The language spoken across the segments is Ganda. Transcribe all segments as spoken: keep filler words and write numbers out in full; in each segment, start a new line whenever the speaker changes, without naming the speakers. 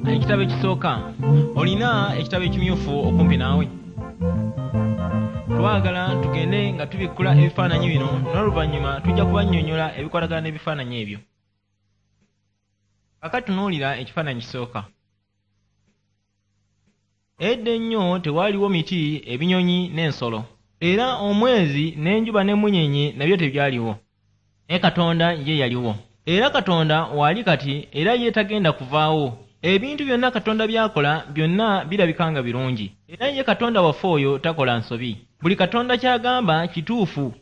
Ekitabo ekisooka, olina ekitabo ekimyufu okumpi naawe? Twagala tugende nga tubikkula ebifaananyi bino, n'oluvannyuma tujja kubannyonnyola ebikwatagana n'ebifaananyi ebyo. Kaakati tunuulira ekifaananyi kisooka. Edda ennyo tewaaliwo miti, ebinyonyi n'ensolo. Era omwezi n'enjuba n'emmunyeenye nabyo tebyaliwo. Naye Katonda ye yaliwo. Era Katonda waali kati, era ye tagenda kuvaawo. Ebintu byonna Katonda by'akola byonna birabika nga birungi. Era ye Katonda waffe oyo takola nsobi. Buli Katonda ky'agamba kituufu.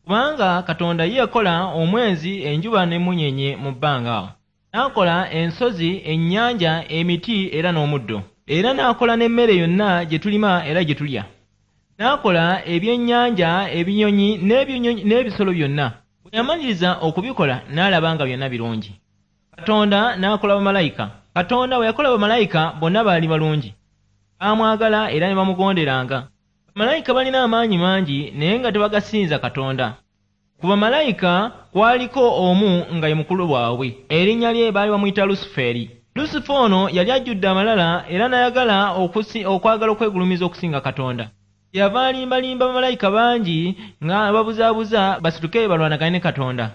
Kubanga Katonda ye yakola omwezi, enjuba n'emmunyeenye mu bbanga awo. N'akola ensozi, ennyanja, emiti era n'omuddo. Era n'akola n'emmere yonna gye tulima era gye tulya. N'akola ebyennyanja, ebinyonyi n'ebisolo byonna. Bwe yamaliriza okubikola n'alaba nga byonna birungi. Katonda n'akola bamalayika. Katonda bwe yakola bamalayika bonna baali balungi. Baamwagala era ne bamugonderanga. Bamalayika balina amaanyi mangi naye nga tebagasinza Katonda. Ku bamalayika kwaliko omu nga ye mukulu waabwe. Erinnya lye baali bamuyita Lusuferi. Lusufa ono yali ajjudde amalala era n'ayagala okwagala okwegulumiza okusinga Katonda. Yava alimbalimba bamalayika bangi nga babuzaabuza basituke balwanagane ne Katonda.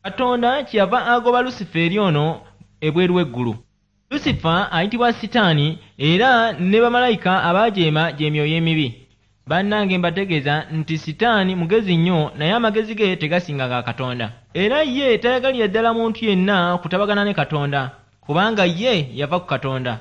Katonda kyeyava agoba Lusiferi ono ebweru w'eggulu. Lusifa ayitibwa Sitaani era ne bamalayika abaajeema gy'emyoyo emibi. Bannange mbategeeza nti Sitaani mugezi nnyo naye amagezi ge tegasinga ga Katonda. Era ye tayagalira ddala muntu yenna kutabagana ne Katonda, kubanga ye yava ku Katonda.